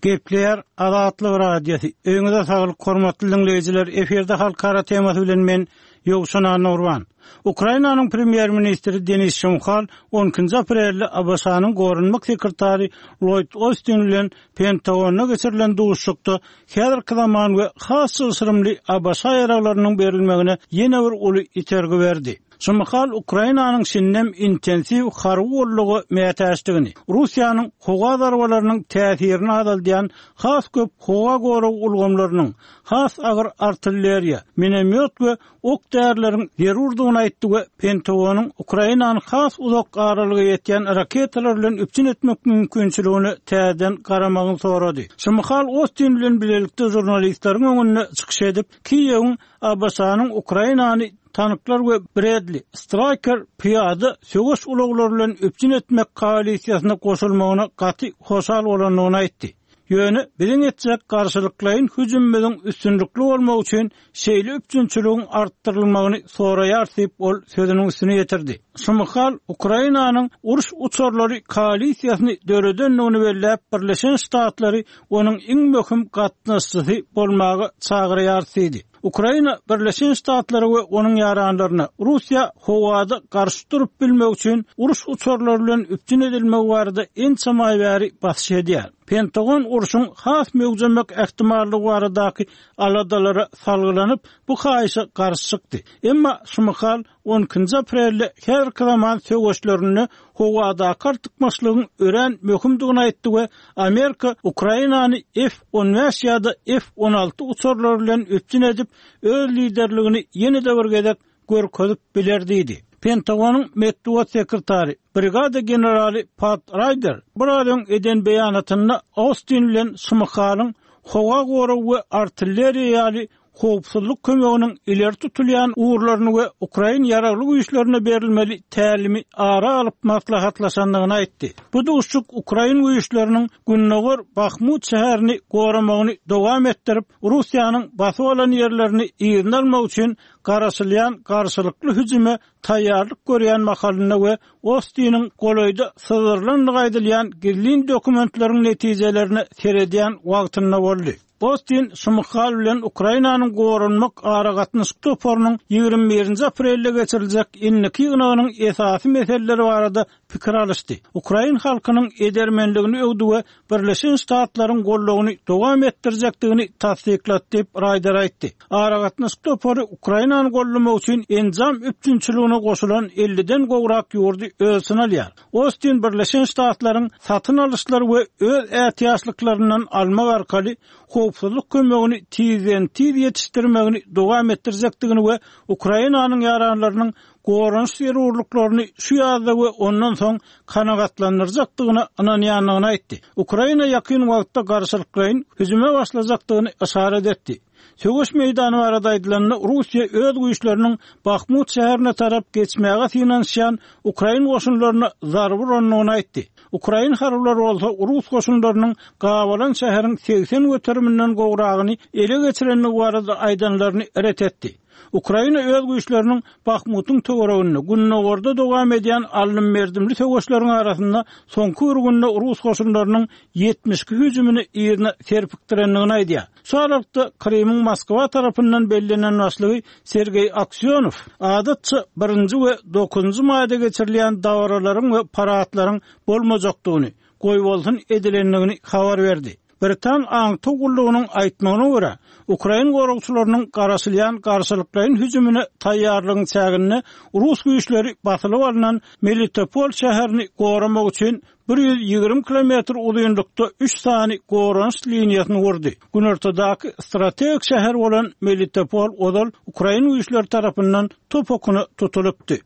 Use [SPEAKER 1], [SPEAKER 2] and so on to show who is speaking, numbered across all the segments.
[SPEAKER 1] Gepleýär Azatlyk Radiosy. Öýüňize saglyk, hormatly diňleýjiler! Efirde halkara temasy bilen men, Ýowşan Annagurban. Ukrainanyň premýer-ministri Denis Şmyhal on ikinji aprelde ABŞ-nyň goranmak sekretary Lloýd Ostin bilen Pentagonda geçirilen duşuşykda häzirki zaman we has çylşyrymly ABŞ ýaraglarynyň berilmegine ýene bir uly itergi berdi. Şmyhal Ukrainanyň şindem intensiw harby goldawa mätäçdigini, Russiýanyň howa zarbalarynyň täsirini azaldýan has köp howa gorag ulgamlarynyň, has agyr artilleriýa, minomýot we ok-därileriň zerurdygyny aýtdy we Pentagonyň Ukrainany has uzak aralyga ýetýän raketalar bilen üpjün etmek mümkinçiligine täzeden garamagyny sorady. Şmyhal Ostin bilen bilelikde žurnalistleriň öňünde çykyş edip, Kiýewiň ABŞ-nyň Ukrainany tanklar we Bradley, Stryker pyýada söweş ulaglary bilen üpjün etmek koalisiýasyna goşulmagyna gaty hoşal bolandygyny aýtdy. Ýöne biziň etjek garşylyklaýyn hüjümimiziň üstünlikli bolmagy üçin şeýle üpjünçiligiň artdyrylmagyny soraýarys diýip, ol sözüniň üstüni ýetirdi. Şmyhal Ukrainanyň uruş uçarlary koalisiýasyny döredendigini belläp, Birleşen Ştatlary onuň iň möhüm gatnaşyjysy bolmaga çagyrýarys diýdi. Ukraina Birleşen Ştatlara we onuň ýaranlaryna Russiýa howada garşy durup bilmek üçin uruş uçarlary bilen üpjün edilmegi barada ençeme aý bäri basyş edýär. Pentagon urşuň has möwjemek ähtimallygy baradaky aladalara salgylanyp, bu haýyşa garşy çykdy. Emma Şmyhal On ikinji aprelde häzirki zaman söweşlerinde howadaky artykmaçlygyň örän möhümdigini aýtdy we Amerika Ukrainany F 15 ýa-da F 16 uçarlary bilen üpjün edip, öz liderligini ýene-de bir gezek görkezip biler diýdi. Pentagonyň metbugat sekretary, brigada generaly Pat Raýder biraz öň eden beýanatynda Austin bilen Şmyhalyň howa goragy we artilleriýa ýaly howpsuzlyk kömeginiň ileri tutulýan ugurlaryny we ukrain ýaragly güýçlerine berilmeli tälimi ara alyp maslahatlaşandygyny aýtdy. Bu duşuşyk ukrain güýçleriniň gündogar Bahmut şäherini goramagyny dowam etdirip, Russiýanyň basyp alan ýerlerini yzyna almak üçin garaşylýan garşylykly hüjüme taýýarlyk görýän mahalynda we Ostiniň golaýda syzdyrylandygy aýdylýan gizlin dokumentleriň netijelerine seredýän wagtynda boldy. Ostin Şmyhal bilen Ukrainanyň Goranmak aragatnaşyk toparynyň 21-nji aprelde geçiriljek indiki ýygnagynyň esasy meseleleri barada pikir alyşdy. Ukrain halkynyň edermenligini öwdi we Birleşen Ştatlaryň goldawyny dowam etdirjekdigini tassyklady diýip, Raýder aýtdy. Aragatnaşyk topary Ukrainany goldamak üçin enjam üpjünçiligine goşulan elliden gowrak ýurdy öz içine alýar. Ostin Birleşen Ştatlaryň satyn alyşlar we öz ätiýaçlyklaryndan almak arkaly howpsuzlyk kömegini tizden-tiz ýetişdirmegini dowam etdirjekdigini we Ukrainanyň ýaranlarynyň goranyş zerurlyklaryny şu ýazda we ondan soň kanagatlandyrjakdygyna ynanýandygyny aýtdy. Ukraina ýakyn wagtda garşylyklaýyn hüjüme başlajakdygyny yşarat etdi. Söweş meýdany barada aýdylanda, Russiýa öz güýçleriniň Bahmut şäherine tarap geçmäge synanyşýan ukrain goşunlaryna zarba urandygyny aýtdy. Ukrain harbylary bolsa rus goşunlarynyň gabalan şäheriň 80 göteriminden gowragyny ele geçirendigi barada aýdanlaryny ret etdi. Ukraina öz güýçleriniň Bahmutyň töwereginde, gündogarda dowam edýän aldym-berdimli söweşleriň arasynda soňky bir günde rus goşunlarynyň 72 hüjümini yzyna serpikdirendigini aýdýar. Şu aralykda, Krymyň Moskwa tarapyndan bellenen başlygy Sergeý Aksýonow, adatça, birinji we dokuzynjy maýda geçirilýän dabaralaryň we paradlaryň bolmajakdygyny, goýbolsun edilendigini habar berdi. Britan aňtaw gullugynyň aýtmagyna görä, ukrain goragçylarynyň garaşylýan garşylyklaýyn hüjümine taýýarlygyň çäginde rus güýçleri basylyp alnan Melitopol şäherini goramak üçin 120 kilometr uzynlykda üç sany goranyş liniýasyny gurdy. Günortadaky strategik şäher bolan Melitopol ozal ukrain güýçleri tarapyndan top okuna tutulypdy.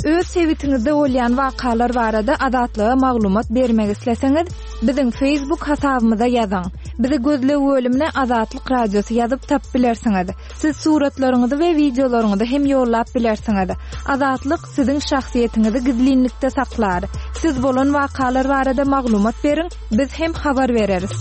[SPEAKER 2] Öz sebitiňizde bolýan wakalar barada Azatlyga maglumat bermek isleseňiz, biziň Facebook hasabymyza ýazyň. Bizi gözleg bölümine Azatlyk Radiosy ýazyp tapyp bilersiňiz. Siz suratlaryňyzy we wideolaryňyzy hem ýollap bilersiňiz. Azatlyk siziň şahsyýetiňizi gizlinlikde saklar. Siz bolan wakalar barada maglumat beriň, biz hem habar bereris.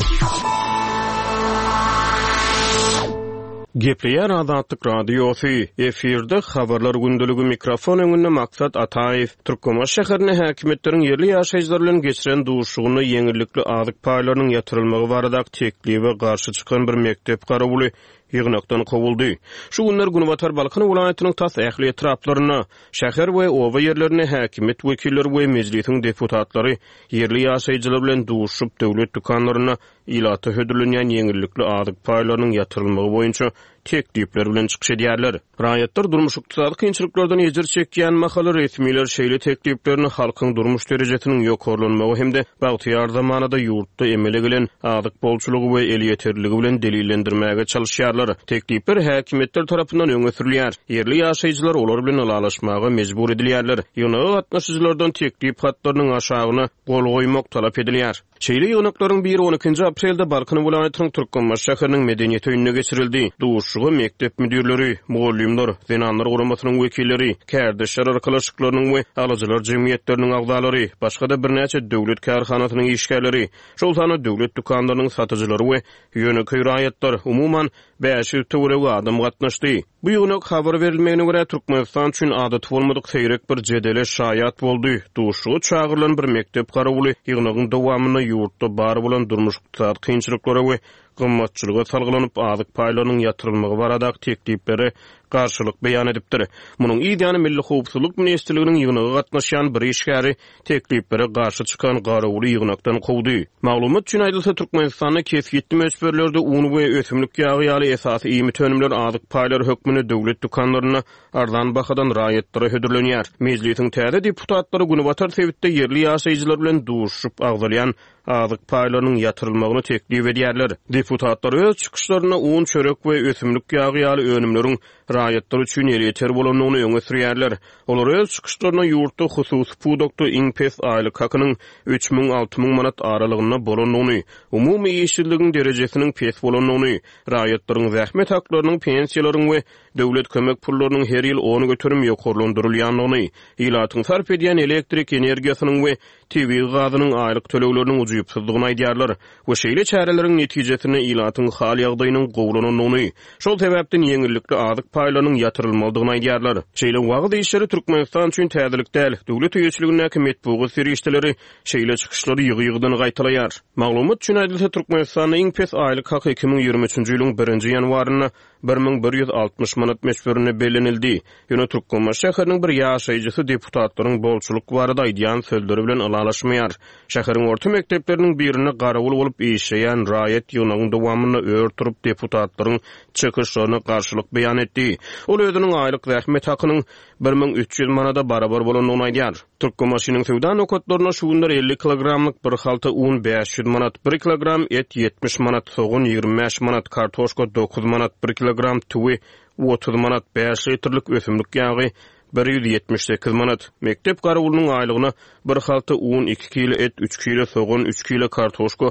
[SPEAKER 3] Gepleýär Azatlyk Radiosy, efirde Habarlar gündeligi, mikrofon öňünde Maksat Ataýew. Türkmenbaşy şäherinde häkimiýetleriň ýerli ýaşaýjylar bilen geçiren duşuşygynda ýeňillikli azyk paýlarynyň ýatyrylmagy baradaky teklibe garşy çykan bir mekdep garawuly ýygnakdan kowuldy. Şu günler günbatar Balkan welaýatynyň tas ähli etraplarynda, şäher we oba ýerlerinde häkimiýet wekilleri we Mejlisiň deputatlary ýerli ýaşaýjylar bilen duşuşyp, döwlet dükanlarynda ilata hödürlenýän ýeňillikli azyk paýlarynyň ýatyrylmagy boýunça teklipler bilen çykyş edýärler. Raýatlar durmuş-ykdysady kynçylyklardan ejir çekýän mahaly resmiler şeýle tekliplerini halkyň durmuş derejesiniň ýokarlanmagy hem-de bagtyýar zamanada ýurtda emele gelen azyk bolçulygy we elýeterliligi bilen delillendirmäge çalyşýarlar. Teklipler häkimiýetler tarapyndan öňe sürülýär. Ýerli ýaşaýjylar olar bilen ylalaşmaga mejbur edilýärler. Ýygnaga gatnaşyjylardan teklip hatlarynyň aşagyna gol goýmak talap edilýär. Şeýle ýygnaklaryň biri on ikinji aprelde Balkan welaýatynyň Türkmenbaşy şäheriniň Medeniýet öýünde geçirildi. Duşuşyga mekdep müdirleri, mugallymlar, Zenanlar guramasynyň wekilleri, kärdeşler arkalaşyklarynyň we alyjylar jemgyýetleriniň agzalary, başga-da birnäçe döwlet kärhanasynyň işgärleri, şol sanda döwlet dükanlarynyň satyjylary we ýönekeý raýatlar, umuman, 500 töweregi adam gatnaşdy. Bu ýygnak, habar berilmegine görä, Türkmenistan üçin adaty bolmadyk seýrek bir jedele şaýat boldy. Duşuşyga çagyrylan bir mekdep garawuly ýygnagyň dowamynda ýurtda bar bolan durmuş-ykdysady kynçylyklara we gymmatçylyga salgylanyp, azyk paýlarynyň ýatyrylmagy baradaky tekliplere garşylyk beýan edipdir. Munuň yz ýany Milli howpsuzlyk ministrliginiň ýygnaga gatnaşýan bir işgäri tekliplere garşy çykan garawuly ýygnakdan kowdy. Maglumat üçin aýdylsa, Türkmenistanda kesgitli möçberlerde un we ösümlik ýagy ýaly esasy iýmit önümler azyk paýlary hökmünde döwlet dükanlarynda arzan bahadan raýatlara hödürlenýär. Mejlisiň täze deputatlary günbatar sebitde ýerli ýaşaýjylar bilen duşuşyp agzalýan azyk paýlarynyň ýatyrylmagyny teklip edýärler. Deputatlar öz çykyşlarynda un, çörek we ösümlik ýagy ýaly önümleriň raýatlar üçin elýeter bolandygyny öňe sürýärler. Olar öz çykyşlarynda ýurtda hususy pudakda iň pes aýlyk hakynyň 3000, 6000 manat aralygynda bolandygyny, umumy işsizligiň derejesiniň pes bolandygyny, raýatlaryň zähmet haklarynyň, pensiýalaryň we döwlet kömek pullarynyň her ýyl 10% ýokarlandyrylýandygyny, ilatyň sarp edýän elektrik energiýasynyň we tebigy gazynyň aýlyk tölegleriniň ujypsyzdygyny aýdýarlar we şeýle çäreleriň netijesinde ilatyň hal-ýagdaýynyň gowulanandygyny, şol sebäpden ýeňillikli azyk paýlarynyň ýatyrylmalydygyny aýdýarlar. Şeýle wagyz işleri Türkmenistan üçin täzelik däl, döwlet eýeçiligindäki metbugat serişdeleri şeýle çykyşlary ýygy-ýygydan gaýtalaýar. Maglumat üçin aýdylsa, Türkmenistanda iň pes aýlyk haky 2023-nji ýylyň birinji ýanwarynda 1160 manat möçberinde bellenildi. Ýöne Türkmenbaşy şäheriniň bir ýaşaýjysy deputatlaryň bolçulyk barada aýdýan sözleri bilen ylalaşmaýar. Şäheriň orta mekdepleriniň birinde garawul bolup işleýän raýat ýygnagyň dowamynda ör turup deputatlaryň çykyşlaryna garşylyk beýan etdi. Ol özüniň aýlyk zähmet hakynyň 1300 manada barabar bolandygyny aýdýar. Türkmenbaşynyň söwda nokatlarynda şu günler 50 kilogramlyk bir halta un 500 manat, bir kilogram et 70 manat, sogan 25 manat, kartoşka 9 manat, bir kilogram tüwi 30 manat, bäş litrlik ösümlik ýagy 178 manat. Mekdep garawulynyň aýlygyna bir halta un, iki kile et, üç kile sogan, üç kile kartoşka,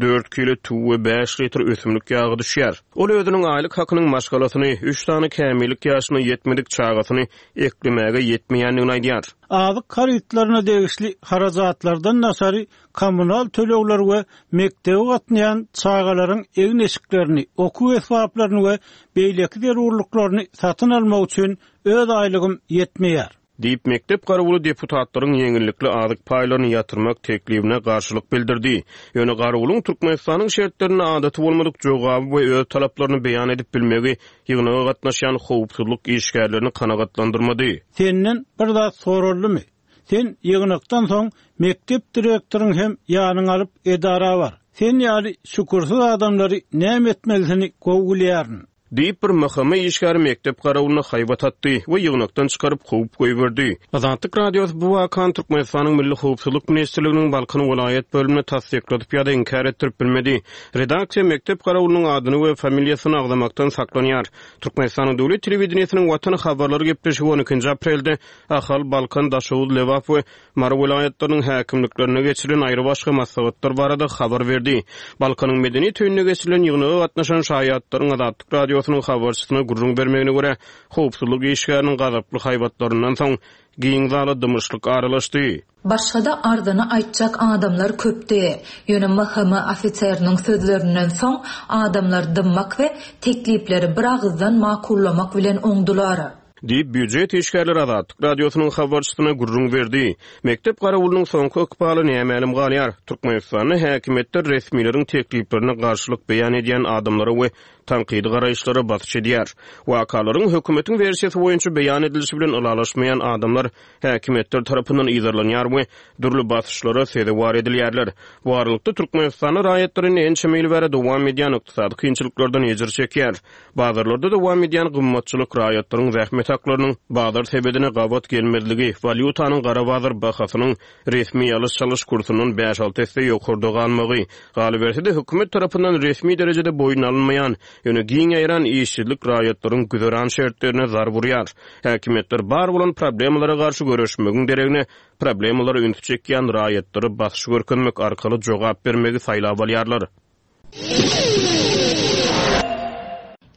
[SPEAKER 3] dört kile tüwi we bäş litr ösümlik ýagy düşýär. Ol özüniň aýlyk hakynyň maşgalasyny, üç sany kämillik ýaşyna ýetmedik çagasyny eklemäge ýetmeýändigini aýdýar.
[SPEAKER 1] Azyk harytlaryna degişli harajatlardan daşary kommunal tölegler we mekdebe gatnaýan çagalaryň egin-eşiklerini, okuw esbaplaryny we beýleki zerurlyklaryny satyn almak üçin öz aýlygym ýetmeýär.
[SPEAKER 3] Diýip, mekdep garawuly deputatlaryň ýeňillikli azyk paýlaryny ýatyrmak teklibine garşylyk bildirdi. Ýöne garawulyň Türkmenistanyň şertlerinde adaty bolmadyk jogaby we öz talaplaryny beýan edip bilmegi ýygnaga gatnaşýan howpsuzlyk işgärlerini kanagatlandyrmady.
[SPEAKER 1] Senden bir zat soraldymy? Sen ýygnakdan soň mekdep direktoryny hem ýanyňa alyp edara bar. Sen ýaly şükürsiz adamlary näme etmelisini gowy bilýärin.
[SPEAKER 3] Diýip, bir MHM işgäri mekdep garawulyna haýbat atdy we ýygnakdan çykaryp kowup goýberdi. Azatlyk Radiosy bu wakany Türkmenistanyň Milli howpsuzlyk ministrliginiň Balkan welaýat bölümine tassykladyp ýa-da inkär etdirip bilmedi. Redaksiýa mekdep garawulynyň adyny we familiýasyny agzamakdan saklanýar. Türkmenistanyň döwlet telewideniýesiniň Watan habarlary gepleşigi on ikinji aprelde Ahal, Balkan, Daşoguz, Lebap we Mary welaýatlarynyň häkimliklerinde geçirilen aýrybaşga maslahatlar barada habar berdi. Balkanyň Medeniýet öýünde geçirilen ýygnaga gatnaşan şaýatlaryň Azatlyk Radiosy. Radiosynyň habarçysyna gürrüň bermegine görä, howpsuzlyk işgäriniň gazaply haýbatlaryndan soň, giň zala dymyşlyk aralaşdy.
[SPEAKER 4] Başga-da arzyny aýtjak adamlar köpdi. Ýöne MHM ofiseriniň sözlerinden soň, adamlar dymmak we teklipleri biragyzdan makullamak bilen oňdular.
[SPEAKER 3] Diýip, býujet işgärleri Azatlyk Radiosynyň habarçysyna gürrüň berdi. Mekdep garawulynyň soňky ykbaly nämälim galýar. Türkmenistanda häkimiýetler resmileriň tekliplerine garşylyk beýan edýän adamlara we tankydy garaýyşlara basyş edýär. Wakalaryň hökümetiň wersiýasy boýunça beýan edilişi bilen ylalaşmaýan adamlar häkimiýetler tarapyndan yzarlanýar we dürli basyşlara sezewar edilýärler. Bu aralykda, Türkmenistanda raýatlar indi ençeme ýyl bäri dowam edýän ykdysady kynçylyklardan ejir çekýär. Bazarlarda dowam edýän gymmatçylyk, raýatlaryň zähmet haklarynyň bazar sebedine gabat gelmezligi, walýutanyň gara bazar bahasynyň resmi alyş-çalyş kursundan bäş-alty esse ýokarda galmagy, galyberse-de, hökümet tarapyndan resmi derejede boýun alynmaýan, ýöne giň ýaýran işsizlik raýatlaryň güzeran şertlerine zarb urýar. Häkimiýetler bar bolan problemalara garşy göreşmegiň deregine, problemalara ünsi çekýän raýatlara basyş görkezmek arkaly jogap bermegi saýlap alýarlar.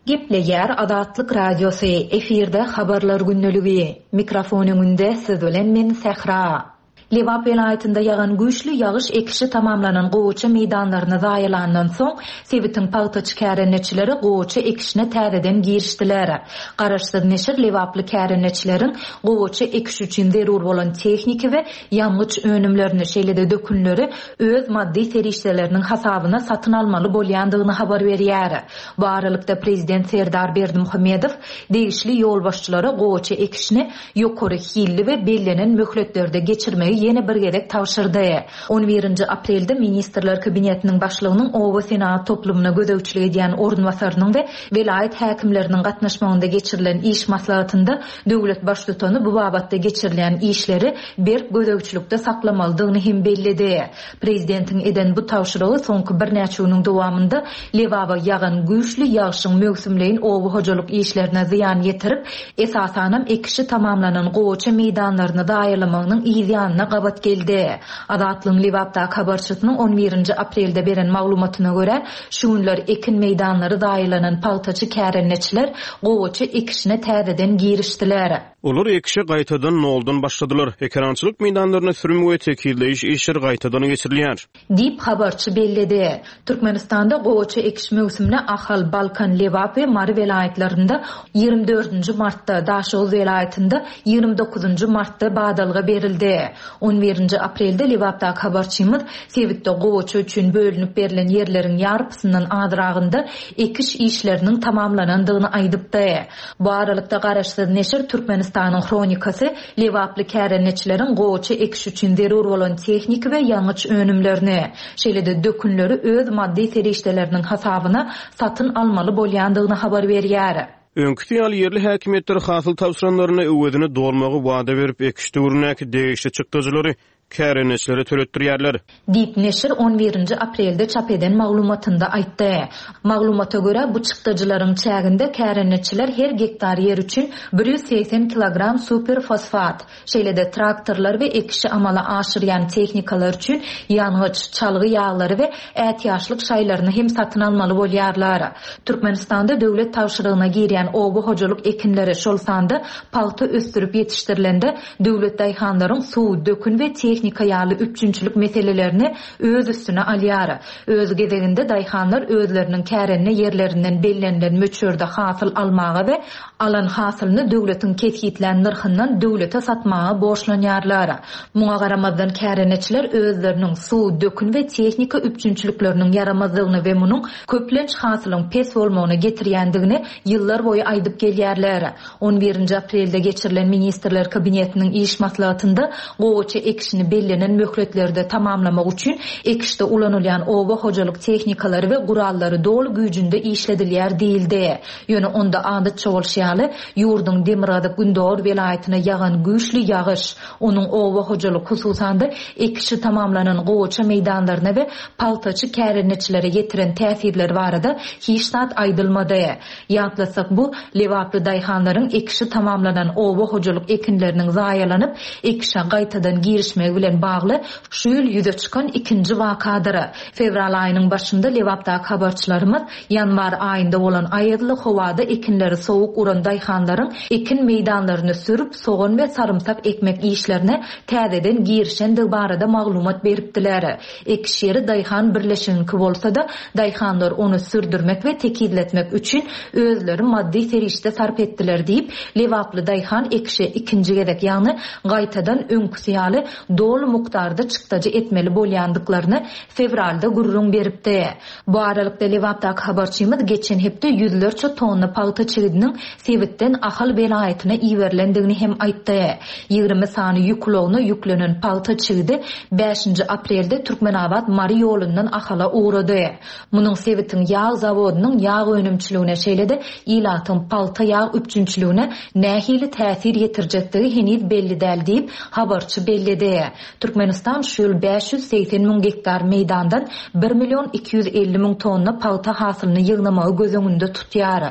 [SPEAKER 4] Gepleýär Azatlyk Radiosy, efirde Habarlar gündeligi. Mikrofon öňünde siz bilen men Sähra. Lebap welaýatynda ýagan güýçli ýagyş ekişi tamamlanan gowaça meýdanlaryny zaýalandan soň, sebitiň pagtaçy kärendeçileri gowaça ekişine täzeden girişdiler. Garaşsyz neşir lebaply kärendeçileriň gowaça ekişi üçin zerur bolan tehniki we ýangyç önümlerini, şeýle-de dökünleri öz maddy serişdeleriniň hasabyna satyn almaly bolýandygyny habar berýär. Bu aralykda, prezident Serdar Berdimuhamedow degişli ýolbaşçylara gowaça ekişini ýokary hilli we bellenen möhletlerde geçirmegi ýene bir gezek tabşyrdy. On birinji aprelde Ministrler Kabinetiniň Başlygynyň oba senagat toplumyna gözegçilik edýän orunbasarynyň we welaýat häkimleriniň gatnaşmagynda geçirilen iş maslahatynda Döwlet Baştutany bu babatda geçirilýän işleri berk gözegçilikde saklamalydygyny hem belledi. Prezidentiň eden bu tabşyrygy soňky birnäçe günüň dowamynda Lebaba ýagan güýçli ýagşyň möwsümleýin oba hojalyk işlerine zyýan ýetirip, esasanam ekişi tamamlanan gowaça meýdanlaryny zaýalamagynyň yz ýanyna gabat geldi. Azatlygyň Lebapdaky habarçysynyň on birinji aprelde beren maglumatyna görä, Şu günler ekin meýdanlary zaýalanan pagtaçy kärendeçiler gowaça ekişine täzeden girişdiler.
[SPEAKER 3] Olar ekişe gaýtadan noldan başladylar. Ekerançylyk meýdanlarynda sürüm we tekizleýiş işleri gaýtadan geçirilýär.
[SPEAKER 4] Diýip, habarçy belledi. Türkmenistanda gowaça ekiş möwsümine Ahal, Balkan, Lebap we Mary welaýatlarynda 24 dördünji martda, Daşoguz welaýatynda 29 dokuzynjy martda badalga berildi. On birinji aprelde Lebapdaky habarçymyz sebitde gowaça üçin bölünip berlen ýerleriň ýarpysyndan azragynda ekiş işleriniň tamamlanandygyny aýdypdy. Bu aralykda, garaşsyz neşir Türkmenistanyň Hronikasy lebaply kärendeçileriň gowaça ekiş üçin zerur bolan tehniki we ýangyç önümlerini, şeýle-de dökünleri öz maddy serişdeleriniň hasabyna satyn almaly bolýandygyny habar berýär.
[SPEAKER 3] Öňküsi ýaly ýerli häkimiýetler hasyl tabşyranlarynda öwezini dolmagy wada berip, ekiş döwründäki degişli çykdajylary kärendeçilere töletdirýärler.
[SPEAKER 4] Diýip, neşir on birinji aprelde çap eden maglumatynda aýtdy. Maglumata görä, bu çykdajylaryň çäginde kärendeçiler her gektar ýer üçin 180 kilogram superfosfat, Şeýle-de traktorlar we ekişi amala aşyrýan tehnikalar üçin ýangyç, çalgy ýaglary we ätiýaçlyk şaýlaryny hem satyn almaly bolýarlar. Türkmenistanda döwlet tabşyrygyna girýän oba hojalyk ekinleri, şol sanda pagta ösdürip ýetişdirilende döwlet daýhanlaryň suw, dökün we tehnika ýaly üpjünçilik meselelerini öz üstüne alýar. Öz gezeginde daýhanlar özleriniň kärende ýerlerinden bellenilen möçberde hasyl almaga we Alan hasylyny döwletiň kesgitlän nyrhyndan döwlete satmaga borçlanýarlar. Muňa garamazdan kärendeçiler özleriniň suw, dökün we tehnika üpjünçilikleriniň ýaramazdygyny we munuň köplenç hasylyň pes bolmagyna getirýändigini ýyllar boýy aýdyp gelýärler. On birinji aprelde geçirilen Ministrler Kabinetiniň iş maslahatynda gowaça ekişini bellenen möhletlerde tamamlamak üçin ekişde ulanylýan oba hojalyk tehnikalary we gurallary doly güýjünde işledilýär diýildi. Ýöne onda adatça bolşy ýaly, ýurduň demirgazyk-gündogar welaýatyna ýagan güýçli ýagyş, onuň oba hojalyk, hususan-da, ekişi tamamlanan gowaça meýdanlaryna we pagtaçy kärendeçilere ýetiren täsirleri barada hiç zat aýdylmady. Ýatlatsak, bu, lebaply daýhanlaryň ekişi tamamlanan oba hojalyk ekinleriniň zaýalanyp, ekişe gaýtadan girişmegi. ýetirilmegi bilen bagly şu ýyl ýüze çykan ikinji wakadyr. Fewral aýynyň başynda Lebapdaky habarçylarymyz ýanwar aýynda bolan aýazly howada ekinleri sowuk uran daýhanlaryň ekin meýdanlaryny sürüp, sogan we sarymsak ekmek işlerine täzeden girişendigi barada maglumat beripdiler. Ekiş ýeri daýhan birleşigiňki bolsa-da, daýhanlar ony sürdürmek we tekizletmek üçin özleri maddy serişde sarp etdiler diýip, lebaply daýhan ekişe ikinji gezek, ýagny gaýtadan öňküsi ýaly doly mukdarda çykdajy etmeli bolýandyklaryny fewralda gürrüň beripdi. Bu aralykda, Lebapdaky habarçymyz geçen hepde ýüzlerçe tonna pagta çigidiniň sebitden Ahal welaýatyna iberilendigini hem aýtdy. 20 sany ýük ulagyna ýüklenen pagta çigidi bäşinji aprelde Türkmenabat-Mary ýolundan Ahala ugrady. Munuň sebitiň ýag zawodynyň ýag önümçiligine, şeýle-de ilatyň pagta ýag üpjünçiligine nähili täsir ýetirjekdigi heniz belli däl diýip, habarçy belledi. Türkmenistan şu ýyl 580 müň gektar meýdandan bir million 250 müň tonna pagta hasylyny ýygnamagy göz öňünde tutýar.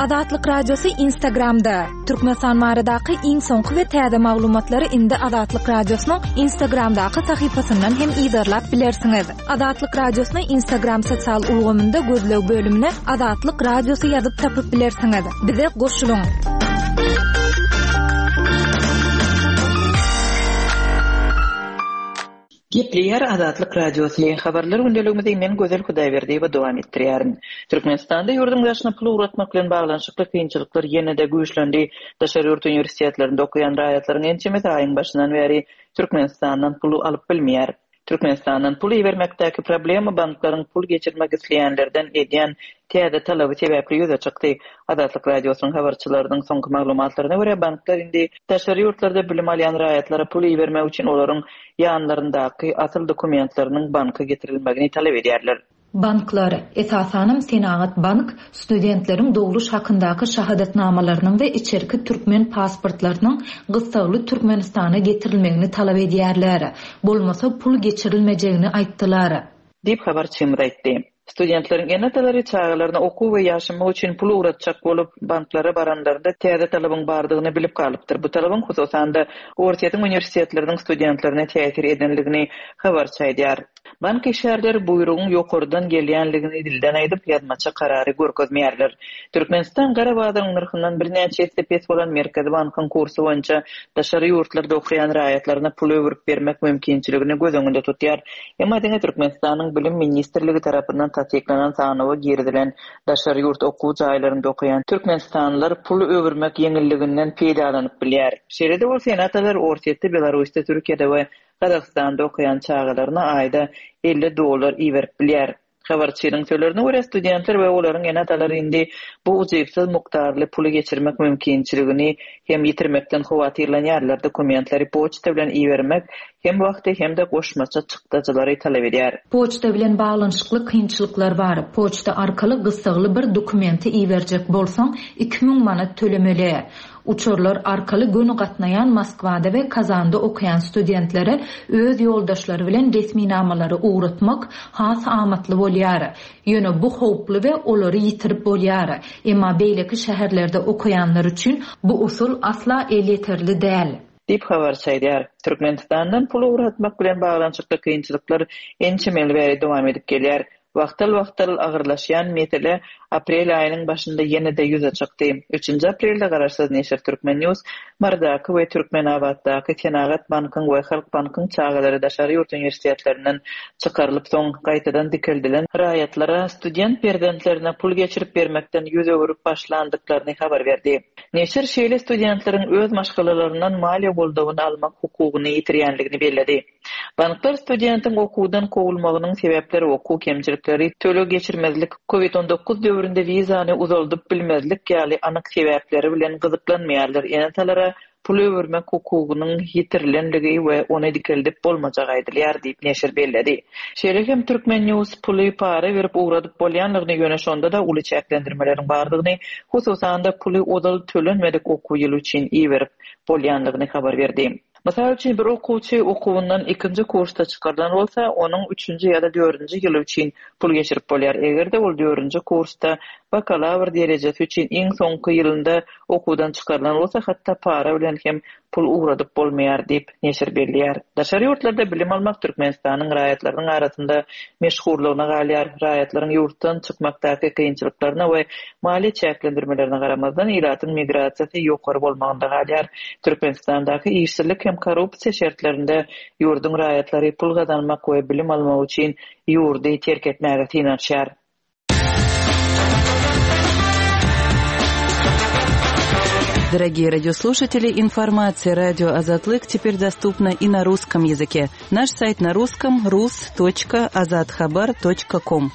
[SPEAKER 2] Azatlyk Radiosy Instagramda, Türkmenistan baradaky iň soňky we täze maglumatlary indi Azatlyk Radiosynyň Instagramdaky sahypasyndan hem yzarlap bilersiňiz. Azatlyk Radiosyny Instagram sosial ulgamynda gözleg bölümine Azatlyk Radiosy ýazyp tapyp bilersiňiz. Bize goşulyň!
[SPEAKER 5] Gepleýär Azatlyk Radiosy, Habarlar gündeligimizi men Gözel Hudaýberdiýewa dowam etdirýärin. Türkmenistanda ýurduň daşyna pul ugratmak bilen baglanyşykly kynçylyklar ýene-de güýçlendi. Daşary ýurt uniwersitetlerinde okaýan raýatlaryň ençemesi aýyň başyndan bäri Türkmenistandan pul alyp bilmeýär. Türkmenistandan pul ibermekdäki problema banklaryň pul geçirmek isleýänlerden edýän täze talaby sebäpli ýüze çykdy. Azatlyk Radiosynyň habarçylarynyň soňky maglumatlaryna görä, banklar indi daşary ýurtlarda bilim alýan raýatlara pul ibermek üçin olaryň ýanlaryndaky asyl dokumentleriniň banka getirilmegini talap edýärler.
[SPEAKER 4] Banklar, esasanam Senagat bank studentleriň dogluş hakyndaky şahadatnamalarynyň we içerki türkmen pasportlarynyň gyssagly Türkmenistana getirilmegini talap edýärler. Bolmasa pul geçirilmejegini aýtdylar.
[SPEAKER 5] Diýip, habarçymyz aýtdy. Studentleriň ene-atalary çagalaryna okuw we ýaşamak üçin pul ugratjak bolup, banklara baranlarynda täze talabyň bardygyny bilip galypdyr. Bu talabyň, hususan-da, Orsýetiň uniwersitetleriniň studentlerine täsir edenligini habarçy aýdýar. Bank işgärleri buýrugyň ýokardan gelýänligini dilden aýdyp, ýazmaça karary görkezmeýärler. Türkmenistan gara bazaryň nyrhyndan birnäçe esse pes bolan Merkezi bankyň kursy boýunça daşary ýurtlarda okaýan raýatlaryna pul öwürüp bermek mümkinçiligini göz öňünde tutýar. Emma diňe Türkmenistanyň Bilim ministrligi tarapyndan tassyklanan sanawa girizilen daşary ýurt okuw jaýlarynda okaýan türkmenistanlylar pul öwürmek ýeňilliginden peýdalanyp bilýär. Şeýle-de bolsa, ene-atalar Orsýetde, Belarusda, Türkiýede we Gazagystanda okaýan çagalaryna aýda 50 dollar iberip bilýär. Habarçynyň sözlerine görä, studentler we olaryň ene-atalary indi bu ujypsyz mukdarly puly geçirmek mümkinçiligini hem ýitirmekden howatyrlanýarlar, dokumentleri poçta bilen ibermek hem wagty hem-de goşmaça çykdajylary talap edýär.
[SPEAKER 4] Poçta bilen baglanyşykly kynçylyklar bar. Poçta arkaly gyssagly bir dokumenti iberjek bolsaň, 2000 manat tölemeli. Uçarlar arkaly göni gatnaýan Moskwada we Kazanda okaýan studentlere öz ýoldaşlary bilen resminamalary ugratmak has amatly bolýar. Ýöne bu howply we olary ýitirip bolýar. Emma beýleki şäherlerde okaýanlar üçin bu usul asla elýeterli däl.
[SPEAKER 5] Diýip, habarçy aýdýar. Türkmenistandan pul ugratmak bilen baglanyşykly kynçylyklar ençeme ýyl bäri dowam edip gelýär. Wagtal-wagtal agyrlaşýan mesele aprel aýynyň başynda ýene-de ýüze çykdy. Üçünji aprelde garaşsyz neşir Turkmen. News Marydaky we Türkmenabatdaky Senagat bankyň we Halk bankyň çagalary daşary ýurt uniwersitetlerinden çykarylyp soň gaýtadan dikeldilen raýatlara student perzentlerine pul geçirip bermekden ýüz öwürip başlandyklaryny habar berdi. Neşir şeýle studentleriň öz maşgalalaryndan maliýe goldawyny almak hukugyny ýitirýändigini belledi. Banklar studentiň okuwdan kowulmagynyň sebäpleri okuw kemçilikleri, töleg geçirmezlik, Covid 19 döwründe wizany uzaldyp bilmezlik ýaly anyk sebäpleri bilen gyzyklanmaýarlar, ene-atalara pul öwürmek hukugynyň ýitirilenligi we ony dikeldip bolmajagy aýdylýar diýip, neşir belledi. Şeýle hem Turkmen. News puly para berip ugradyp bolýanlygyny, ýöne şonda-da uly çäklendirmeleriň bardygyny, hususan-da puly ozal tölenmedik okuw ýyly üçin iberip bolýanlygyny habar berdi. Mysal üçin, bir okuwçy okuwyndan ikinji kursda çykarylan bolsa, onuň üçünji ýa-da dördünji ýyly üçin pul geçirip bolýar. Eger-de ol dördünji kursda bakalawr derejesi üçin iň soňky ýylynda okuwdan çykarylan bolsa, hatda para bilen hem pul ugradyp bolmaýar diýip, neşir belleýär. Daşary ýurtlarda bilim almak Türkmenistanyň raýatlarynyň arasynda meşhurlygyna galýar. Raýatlaryň ýurtdan çykmakdaky kynçylyklaryna we maliýe çäklendirmelerine garamazdan, ilatyň migrasiýasy ýokary bolmagynda galýar. Türkmenistandaky işsizlik hem korrupsiýa şertlerinde ýurduň raýatlary pul gazanmak we bilim almak üçin ýurdy terk etmäge synanyşýar.
[SPEAKER 6] Дорогие радиослушатели, информация радио Азатлык теперь доступна и на русском языке. Наш сайт на русском rus.azathabar.com.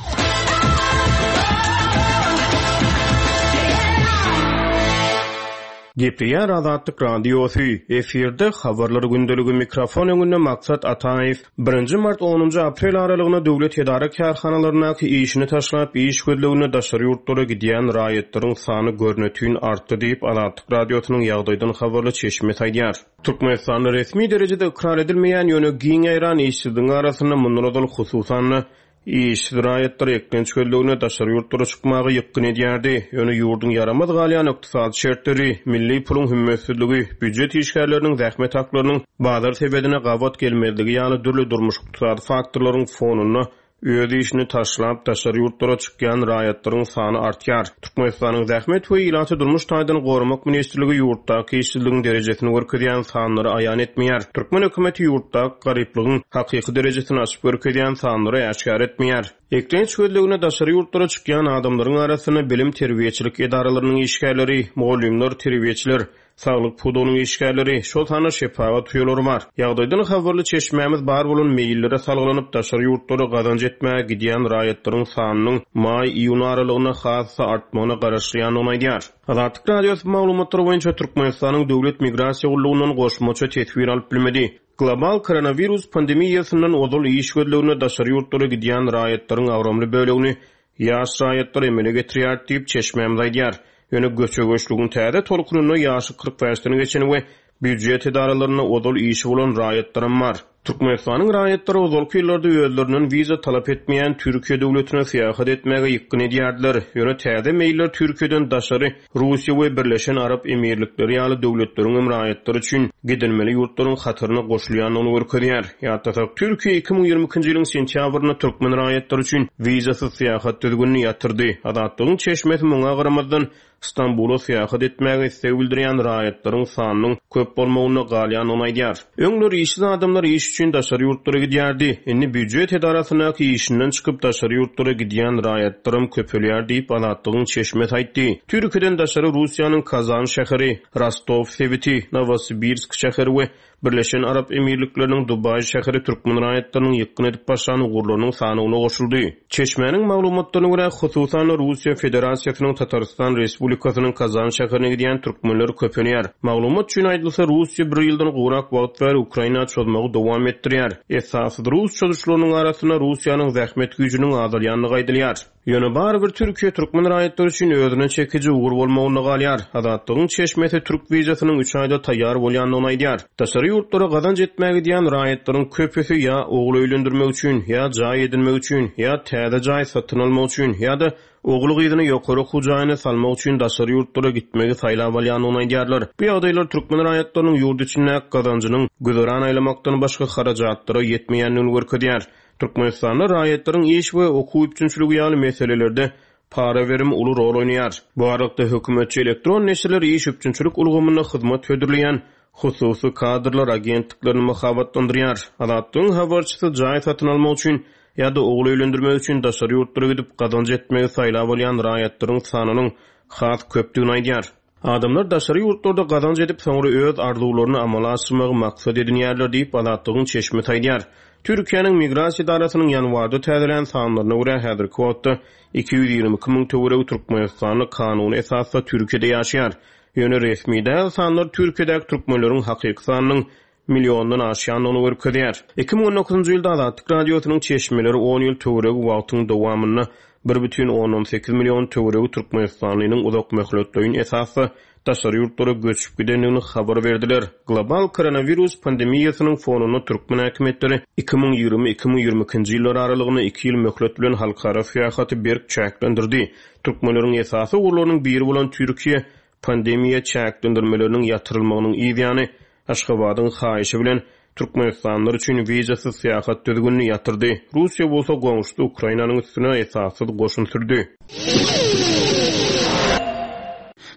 [SPEAKER 3] Gepleýär Azatlyk Radiosy, efirde Habarlar gündeligi mikrofon öňünde Maksat Ataýew. Birinji mart onunjy aprel aralygynda döwlet edara-kärhanalaryndaky işini taşlap, iş gözleginde daşary ýurtlara gidýän raýatlaryň sany görnetin artdy diýip, Azatlyk Radiosynyň ýagdaýdan habarly çeşmesi aýdýar. Türkmenistanda resmi derejede ykrar edilmeýän, ýöne giň ýaýran işsizligiň arasynda mundan ozal hususan-da, Işsiz raýatlar eklenç gözlegine daşary ýurtlara çykmaga ýykgyn edýärdi. Ýöne ýurduň ýaramaz galýan ykdysady şertleri, milli puluň hümmetsizligi, býujet işgärleriniň zähmet haklarynyň bazar sebedine gabat gelmezligi ýaly dürli durmuş-ykdysady faktorlaryň fonunda öz işini taşlap daşary ýurtlara çykýan raýatlaryň sany artýar. Türkmenistanyň Zähmet we ilaty durmuş taýdan goramak ministrligi ýurtdaky işsizligiň derejesini görkezýän sanlary aýan etmeýär. Türkmen hökümeti ýurtdaky garyplygyň hakyky derejesini açyp görkezýän sanlary äşgär etmeýär. Eklenç gözlegine daşary ýurtlara çykýan adamlaryň arasynda bilim-terbiýeçilik edaralarynyň işgärleri, mugallymlar, terbiýeçiler, Saglyk pudagynyň işgärleri, şol sanda şepagat uýalary bar. Ýagdaýdan habarly çeşmämiz bar bolan meýillere salgylanyp, daşary ýurtlara gazanç etmäge gidýän raýatlaryň sanynyň maý-iýun aralygynda has-da artmagyna garaşylýandygyny aýdýar. Azatlyk Radiosy bu maglumatlar boýunça Türkmenistanyň Döwlet migrasiýa gullugyndan goşmaça teswir alyp bilmedi. Global koronawirus pandemiýasyndan ozal iş gözleginde daşary ýurtlara gidýän raýatlaryň agramly bölegini Ýaş raýatlar emele getirýär diýip, çeşmämiz aýdýar. Ýöne göçe-göçlügiň täze tolkunynda ýaşy 45 den geçen we býujet edaralarynda ozal işi bolan raýatlaram bar. Türkmenistanyň raýatlary ozalky ýyllarda özlerinden wiza talap etmeýän Türkiýe döwletine syýahat etmäge ýykgyn edýärdiler. Ýöne täze meýiller Türkiýeden daşary Russiýa we Birleşen Arap Emirlikleri ýaly döwletleriňem raýatlary üçin gidilmeli ýurtlaryň hataryna goşulýandygyny görkezýär. Ýatlasak, Türkiýe 2022-nji ýylyň sentýabrynda türkmen raýatlary üçin wizasyz syýahat düzgünini ýatyrdy. Azatlygyň çeşmesi muňa garamazdan, Stambula syýahat etmäge isleg bildirýän raýatlaryň sanynyň köp bolmagynda galýandygyny aýdýar. Öňler işsiz adamlar iş üçin daşary ýurtlara gidýärdi. Indi býujet edarasyndaky işinden çykyp daşary ýurtlara gidýän raýatlaram köpelýär diýip, Azatlygyň çeşmesi aýtdy. Türkiýeden daşary Russiýanyň Kazan şäheri, Rostow sebiti, Nowosibirsk şäheri we Birleşen Arap Emirlikleriniň Dubaý şäheri türkmen raýatlarynyň ýykgyn edip başlan ugurlarynyň sanawyna goşuldy. Çeşmäniň maglumatlaryna görä, hususan-da, Russiýa Federasiýasynyň Tatarystan Respublikasynyň Kazan şäherine gidýän türkmenler köpelýär. Maglumat üçin aýdylsa, Russiýa bir ýyldan gowrak wagt bäri Ukraina çozmagy dowam etdirýär. Esassyz rus çozuşlarynyň arasynda Russiýanyň zähmet güýjüniň azalýandygy aýdylýar. Ýöne barybir Türkiýe türkmen raýatlary üçin özüne çekiji ugur bolmagynda galýar. Azatlygyň çeşmesi türk wizasynyň üç aýda taýýar bolýandygyny aýdýar. Daşary ýurtlara gazanç etmäge gidýän raýatlaryň köpüsi ýa ogul öýlendirmek üçin, ýa jaý edinmek üçin, ýa täze jaý satyn almak üçin, ýa-da ogul-gyzyny ýokary okuw jaýyna salmak üçin daşary ýurtlara gitmegi saýlap alýandygyny aýdýarlar. Bu ýagdaýlar türkmen raýatlarynyň ýurt içindäki gazanjynyň güzeran aýlamakdan başga harajatlara ýetmeýändigini görkezýär. Türkmenistanda raýatlaryň iş we okuw üpjünçiligi ýaly meselelerde para berimi uly rol oýnaýar. Bu aralykda hökümetçi elektron neşirler iş üpjünçilik ulgamynda hyzmat hödürleýän hususy kadrlar agentliklerini mahabatlandyrýar. Azatlygyň habarçysy jaý satyn almak üçin ýa-da ogul öýlendirmek üçin daşary ýurtlara gidip gazanç etmegi saýlap alýan raýatlaryň sanynyň has köpdügini aýdýar. Adamlar daşary ýurtlarda gazanç edip, soňra öz arzuwlaryny amala aşyrmagy maksat edinýärler diýip, Azatlygyň çeşmesi aýdýar. Türkiýäniň Migrasiýa edarasynyň ýanwarda täzelän sanlaryna görä, häzirki wagtda 222 müň töweregi türkmenistanly kanuny esasda Türkiýede ýaşaýar. Ýöne resmi däl sanlar Türkiýedäki türkmenleriň hakyky sanynyň milliondan aşýandygyny görkezýär. 2019-njy ýylda Azatlyk Radiosynyň çeşmeleri on ýyl töweregi wagtyň dowamynda. 1,8 million töweregi türkmenistanlynyň uzakmöhletleýin esasda daşary ýurtlara göçüp gidendigini habar berdiler. Global koronawirus pandemiýasynyň fonunda türkmen häkimiýetleri 2020, 2022-nji ýyllar aralygynda iki ýyl möhlet bilen halkara syýahaty berk çäklendirdi. Türkmenleriň esasy ugurlarynyň biri bolan Türkiýe pandemiýa çäklendirmeleriniň ýatyrylmagynyň yz ýany, Aşgabadyň haýyşy bilen, türkmenistanlylar üçin wizasyz syýahat düzgünini ýatyrdy. Russiýa bolsa goňşusy Ukrainanyň üstüne esassyz goşun sürdi.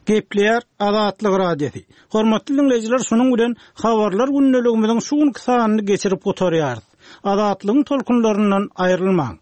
[SPEAKER 1] Gepleýär Azatlyk Radiosy. Hormatly diňleýjiler şunuň bilen Habarlar gündeligimiziň şu günki sanyny geçirip gutarýarys. Azatlygyň tolkunlaryndan aýrylmaň.